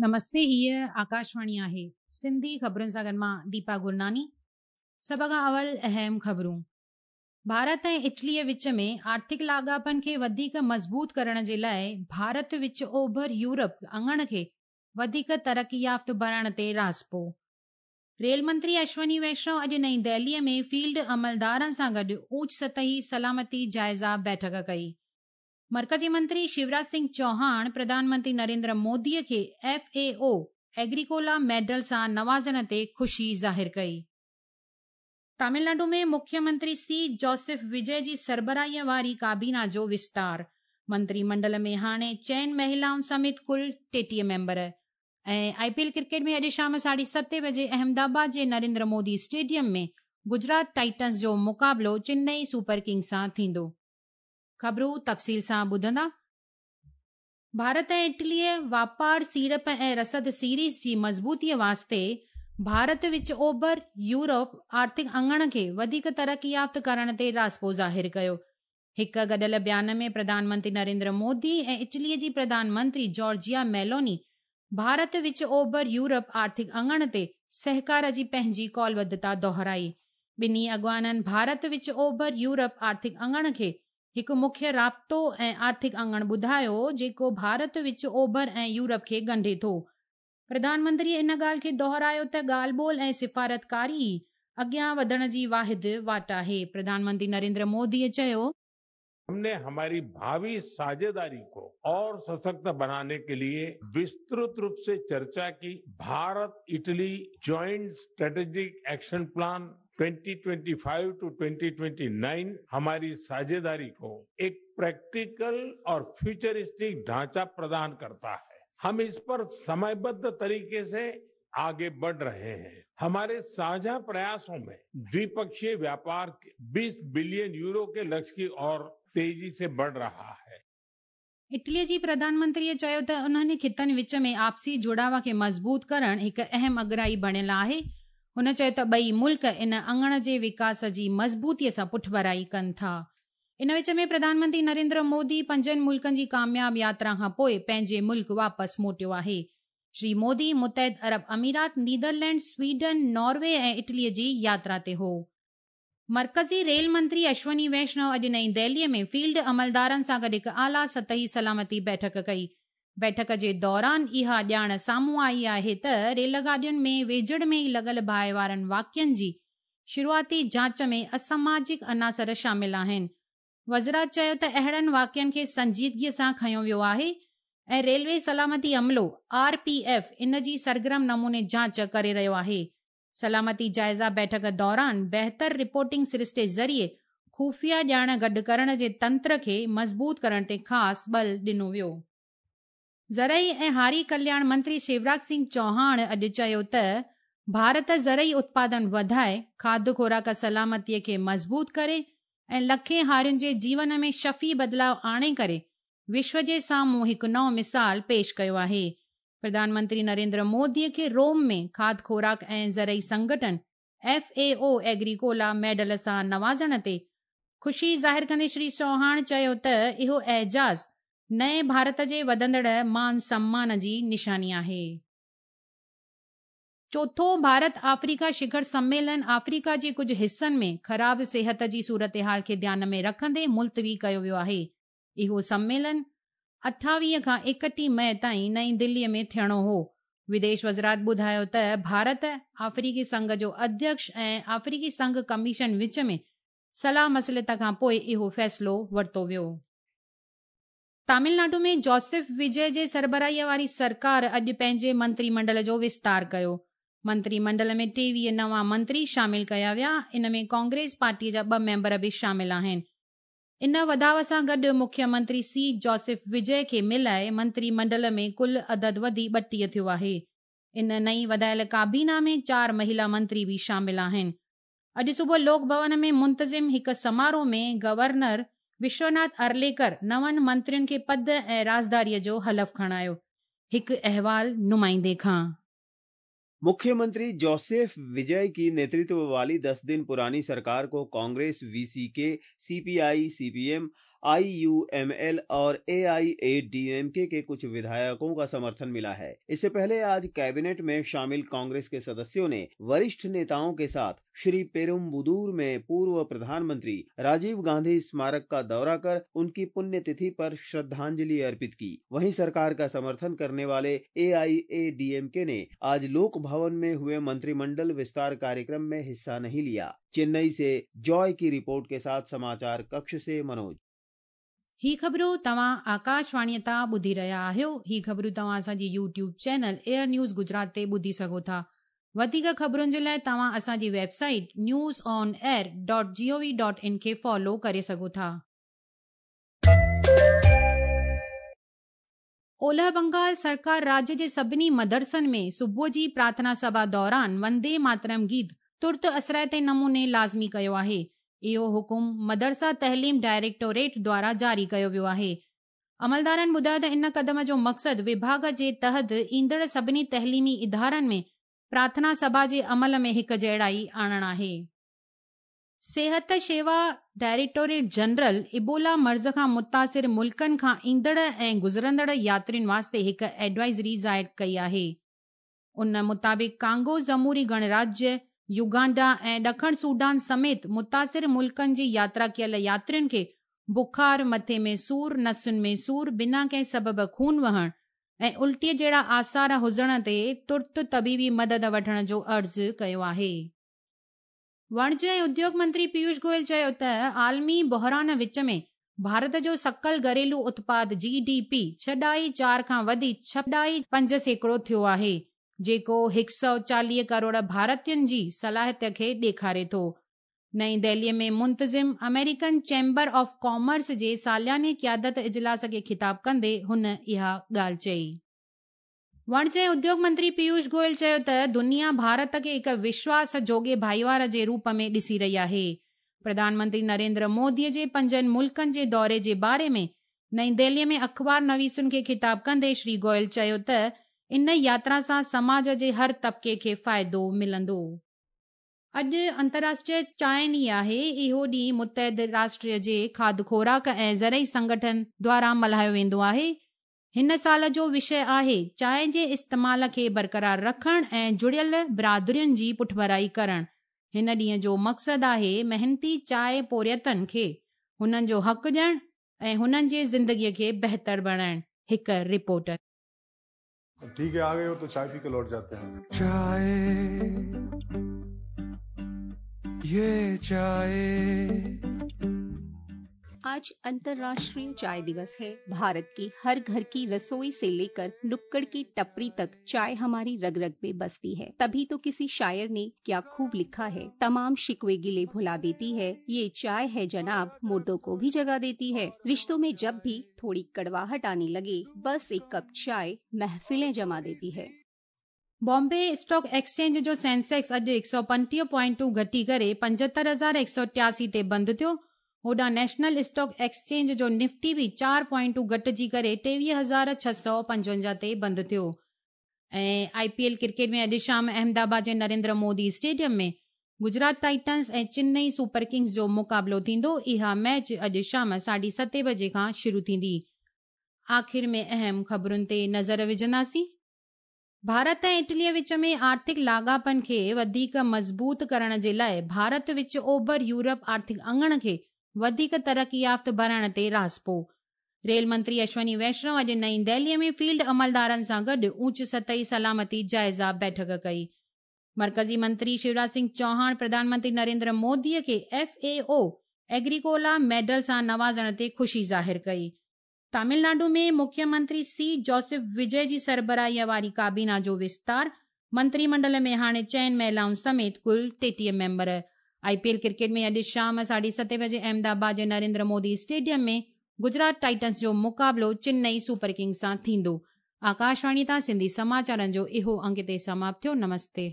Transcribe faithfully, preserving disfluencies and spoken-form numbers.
نمستي، هيء آڪاشواڻي آهي. سنڌي خبرن سان گڏ مان ديپا گرناني. سڀ کان اول اهم خبرون. ڀارت ۽ اٽليء وچ ۾ آرٿڪ لاڳاپن کي وڌيڪ مضبوط ڪرڻ جي لاء ڀارت وچ اوڀر يورپ اڱڻ کي وڌيڪ ترقي يافته بڻائڻ تي راضپو. ريل منتري اشوني ويشنو اڄ نئين دهليء ۾ فيلڊ عملدارن سان گڏ اوچ سطحي سلامتي جائزه بيٺڪ ڪئي. مرڪزي منتري شيوراج سنگهه چوهاڻ پرڌان منتري نريندر موديء کي ايف اي او ايگريڪولا ميڊل سان نوازڻ تي خوشي ظاهر ڪئي. تامل ناڊو ۾ مکيه منتري سي جوسف وجي جي سربراهيء واري ڪابينا جو وستار، منتري منڊل ۾ هاڻي چئن مهلائن سميت ڪل ٽيٽيهه member. ۽ I P L cricket ۾ اڄ شام ساڍي ستين بجي احمدآباد جي نريندر مودي اسٽيڊيم ۾ گجرات ٽائٽنز جو مقابلو چنئي سپر ڪنگز سان ٿيندو. خبرون تفصيل سان ٻڌندا. ڀارت ۽ اٽليء واپار، سيڙپ ۽ رسد سيريز جي مضبوطيء واسطي ڀارت وچ اوڀر يورپ آرٿڪ اڱڻ کي وڌيڪ ترقي يافته ڪرڻ تي راضپو ظاهر ڪيو. هڪ گڏيل بيان ۾ پرڌان منتري نريندر مودي ۽ اٽليء جي پرڌان منتري جارجيا ميلوني ڀارت وچ اوڀر يورپ آرٿڪ اڱڻ تي سهڪار جي پنهنجي قولبڌتا دهرائي. ٻنهي اڳواڻن ڀارت وچ اوڀر يورپ آرٿڪ اڱڻ کي هڪ مکيه رابطو ۽ آرٿڪ اڱڻ ٻڌايو، جيڪو ڀارت وچ اوڀر ۽ يورپ کي ڳنڍي ٿو. پرڌان منتريء ان ڳالهه کي دهرايو ته ڳالهه ٻولهه ۽ سفارتڪاري ئي اڳيان وڌڻ جي واحد واٽ آهي. پرڌان منتري نريندر موديء چيو، हम ने हमारी भावी साझेदारी को और सशक्त बनाने के लिए विस्तृत रूप से चर्चा की। Bharat Italy joint strategic action plan दो हज़ार पच्चीस टू दो हज़ार उनतीस हमारी साझेदारी को एक प्रैक्टिकल और फ्यूचरिस्टिक ढांचा प्रदान करता है। हम इस पर समयबद्ध तरीके से आगे बढ़ रहे हैं। हमारे साझा प्रयासों में द्विपक्षीय व्यापार बीस बिलियन यूरो के लक्ष्य की ओर तेजी से बढ़ रहा है। इटलीअ जी प्रधान मंत्रीअ चयो त उन्हनि ख़ितनि विच में आपसी जुड़ाव खे मज़बूत करण हिकु अहम अॻिराई बणियल आहे। हुन चयो त ॿई मुल्क इन अङण जे विकास जी मज़बूतीअ सां पुठभराई कनि था। इन विच में प्रधानमंत्री नरेंद्र मोदी पंजनि मुल्कनि जी कामयाब यात्रा खां पोइ पंहिंजे मुल्क वापसि मोटियो आहे। श्री मोदी मुतहद अरब अमीरात, नीदरलैंड, स्वीडन, नॉर्वे ऐं इटलीअ जी यात्रा ते हो। मर्कज़ी रेल मंत्री अश्वनी वैष्णव अॼु नई दिल्लीअ में फील्ड अमलदारनि सां गॾु हिकु आला सतही सलामती बैठक कई। बैठक जे दौरान इहा ॼाण साम्हूं आई आहे त रेलगाॾियुनि में वेझड़ में ई लॻल बाहि वारनि वाक़ियनि जी शुरूआती जांच में असमाजिक अनासर शामिल आहिनि। वज़रात चयो त अहिड़नि वाक़ियनि खे संजीदगीअ सां खयो वियो आहे ऐं रेलवे सलामती अमलो आर पी एफ इन जी सरगर्म नमूने जांच करे रहियो आहे। सलामती जाइज़ा बैठक दौरान बहितर रिपोर्टिंग सरिश्ते ज़रिए ख़ुफ़िया ॼाण गॾु करण जे तंत्र खे मज़बूत करण ते ख़ासि बल ॾिनो वियो। ज़रई ऐं हारी कल्याण मंत्री शिवराज सिंह चौहान अॼु चयो त भारत ज़रई उत्पादन वधाए, खाद्य खुराक सलामतीअ खे मज़बूत करे ऐं लखें हारियुनि जे जीवन में शफ़ी बदिलाव आणे करे विश्व जे साम्हूं हिकु नओं मिसाल पेश कयो आहे। प्रधानमंत्री नरेंद्र मोदीअ खे रोम में खाद्य खुराक ऐं ज़रई संगठन F A O Agricola medal सां नवाज़ण ते ख़ुशी ज़ाहिर कंदे श्री चौहान चयो त इहो एजाज़ नए भारत जे वधंदड़ मान सम्मान जी निशानी आहे। चोथों भारत आफ्रीका शिखर सम्मेलन आफ्रीका जे कुझु हिसनि में ख़राब सिहत जी सूरत हाल खे ध्यान में रखंदे मुलतवी कयो वियो आहे। इहो सम्मेलन अठावीह खां एकटीह मई ताईं नई दिल्लीअ में थियणो हो। विदेश वज़ारत ॿुधायो त भारत, आफ्रीकी संघ जो अध्यक्ष ऐं आफ्रीकी संघ कमीशन विच में सलाह मसलत खां पोइ इहो फ़ैसिलो वरितो वियो। तमिलनाडु में जोसेफ विजय जे सरबराहीअ वारी सरकार अॼु पंहिंजे मंत्रीमंडल जो विस्तार कयो। मंत्रीमंडल में टेवीह नवां मंत्री शामिल कया विया। इन में कांग्रेस पार्टीअ जा ॿ मेंबर बि शामिल आहिनि। इन वधाव सां गॾु मुख्यमंत्री सी जोसेफ विजय खे मिलाए मंत्रीमंडल में कुल अदद वधी ॿटीह थियो आहे। इन नई वधायल काबीना में चार महिला मंत्री बि शामिल आहिनि। अॼु सुबुह लोक भवन में मुंतज़िम हिकु समारोह में गवर्नर विश्वनाथ अरलेकर नवनि मंत्रियुनि खे पद ऐं राज़दारीअ जो हलफ़ खणायो। हिकु अहवाल नुमाइंदे खां। मुख्यमंत्री जोसेफ विजय की नेतृत्व वाली दस दिन पुरानी सरकार को Congress, VCK, CPI, CPM, IUML और एआईएडीएमके के कुछ विधायकों का समर्थन मिला है। इससे पहले आज कैबिनेट में शामिल कांग्रेस के सदस्यों ने वरिष्ठ नेताओं के साथ श्री पेरुम्बुदूर में पूर्व प्रधानमंत्री राजीव गांधी स्मारक का दौरा कर उनकी पुण्यतिथि पर श्रद्धांजलि अर्पित की। वहीं सरकार का समर्थन करने वाले एआईएडीएमके ने आज लोक भवन में हुए मंत्रिमंडल विस्तार कार्यक्रम में हिस्सा नहीं लिया। चेन्नई से जॉय की रिपोर्ट के साथ समाचार कक्ष से मनोज। ही ख़बरूं तव्हां आकाशवाणीअ तां ॿुधी रहिया आहियो। ही ख़बरूं तव्हां असांजी YouTube channel Air News Gujarat ते ॿुधी सघो था। वधीक ख़बरुनि जे लाइ तव्हां असांजी website news on air dot G O V dot in खे फॉलो करे सघो था। ओलह बंगाल सरकार राज्य जे सभिनी मदरसनि में सुबुह जी प्रार्थना सभा दौरान वंदे मातरम गीत तुर्त असराइते नमूने लाज़मी कयो आहे। इहो हुकुम मदरसा तहलीम डायरेक्टोरेट द्वारा जारी कयो वियो आहे। अमलदारनि ॿुधायो त इन कदम जो मक़सदु विभाग जे तहत ईंदड़ सभिनी तहलीमी इदारनि में प्रार्थना सभा जे अमल में हिकु जहिड़ाई आणणु आहे। सेहत शेवा डायरेक्टोरेट जनरल इबोला मर्ज़ खां मुतासिर मुल्कनि खां ईंदड़ ऐं गुज़रंदड़ यात्रियुनि वास्ते हिकु एडवाइज़री ज़ाहिर कई आहे। उन मुताबिक़ कांगो जमहूरी गणराज्य, युगांडा ऐं ॾखण सूडान समेत मुतासिर मुल्कनि जी यात्रा कयल यात्रियुनि खे बुखार, मथे में सूर, नसुनि में सूर, बिना कंहिं सबब खून वहण ऐं उल्टीअ जहिड़ा आसार हुजण ते तुर्त तबीबी मदद वठण जो अर्ज़ु कयो आहे। वाणिज्य ऐं उद्योग मंत्री पीयूष गोयल चयो त आलमी बहरान विच में भारत जो सकल घरेलू उत्पाद जी डी पी छह ॾाई चार खां वधी छह ॾाई पंज सैकड़ो थियो आहे, जेको हिकु सौ चालीह करोड़ भारतीयुनि जी सलाहियत खे ॾेखारे थो। नई दिल्लीअ में मुंतज़िम अमेरिकन चैम्बर ऑफ कॉमर्स जे सालियाने क़ियादत इजलास खे ख़िताब कंदे हुन इहा ॻाल्हि चई। वाणिज्य ऐं उद्योग मंत्री पीयूष गोयल चयो त दुनिया भारत खे हिकु विश्वास जोगे भाईवार जे रूप में ॾिसी रही आहे। प्रधानमंत्री नरेंद्र मोदीअ जे पंजनि मुल्कनि जे दौरे जे बारे में नई दिल्लीअ में अख़बार नवीसुनि खे ख़िताब कंदे श्री गोयल चयो त इन यात्रा सां समाज जे हर तबिके खे फ़ाइदो मिलंदो। अॼु अंतर्राष्ट्रीय चांहि ॾींहुं आहे। इहो ॾींहुं मुतहद राष्ट्र जे खाध खोराक ऐं ज़रई संगठन द्वारा मल्हायो वेंदो आहे। हिन साल जो विषय आहे चांहि जे इस्तेमाल खे बरक़रार रखणु ऐं जुड़ियल बिरादरियुनि जी पुठभराई करणु। हिन ॾींहं जो मक़सदु आहे महिनती चांहि पोरियतनि खे हुननि जो हक़ ॾियणु ऐं हुननि जे ज़िंदगीअ खे बहितर बणाइणु। हिकु रिपोर्ट। ठीक है, आ गए हो तो चाय पी के लौट जाते हैं। चाय, ये चाय। आज अंतर्राष्ट्रीय चाय दिवस है। भारत की हर घर की रसोई से लेकर नुक्कड़ की टपरी तक चाय हमारी रग रग में बसती है। तभी तो किसी शायर ने क्या खूब लिखा है, तमाम शिकवे गिले भुला देती है ये चाय है जनाब, मुर्दों को भी जगा देती है। रिश्तों में जब भी थोड़ी कड़वाहट आने लगे, बस एक कप चाय महफिलें जमा देती है। बॉम्बे स्टॉक एक्सचेंज जो सेंसेक्स अॼु हिकु सौ पंटीह पॉइंटूं घटी करे पंजहतरि हज़ार हिकु सौ टियासी ते बंदि थियो। होॾां नेशनल स्टॉक एक्सचेंज जो निफ्टी बि चारि पॉइंटूं घटिजी करे टेवीह हज़ार छह सौ पंजवंजाह ते बंदि थियो। ऐं I P L cricket में अॼु शाम अहमदाबाद जे नरेंद्र मोदी स्टेडियम में गुजरात टाइटन्स ऐं चेन्नई सुपर किंग्स जो मुक़ाबिलो थींदो। इहा मैच अॼु शाम साढे सते बजे खां शुरू थींदी। आख़िर में अहम ख़बरुनि ते नज़र विझंदासीं। भारत ऐं इटलीअ विच में आर्थिक लाॻापनि खे वधीक मज़बूत करण जे लाइ भारत विच ओभर यूरोप आर्थिक अंगण खे वधीक तरक़ी याफ़्त बणाइण ते राज़पो। रेल मंत्री अश्वनी वैष्णव अॼु नई दिल्लीअ में फील्ड अमलदारनि सां गॾु ऊंच सतही सलामती जाइज़ा बैठक कई। मरकज़ी मंत्री शिवराज सिंह चौहान प्रधानमंत्री नरेंद्र मोदीअ खे F A O Agricola medal सां नवाज़ण ते ख़ुशी ज़ाहिर कई। तमिलनाडु में मुख्यमंत्री सी जोसेफ विजय जी सरबराहीअ वारी काबीना जो विस्तार, मंत्रिमंडल में हाणे चइनि महिलाउनि समेत कुल टेटीह member. I P L cricket में अॼु शाम साढे सते बजे अहमदाबाद जे नरेंद्र मोदी स्टेडियम में गुजरात टाइटन्स जो मुक़ाबिलो चेन्नई सुपर किंग्स सां थींदो। आकाशवाणी तां सिंधी समाचारनि जो इहो अंक हिते समाप्त थियो। नमस्ते।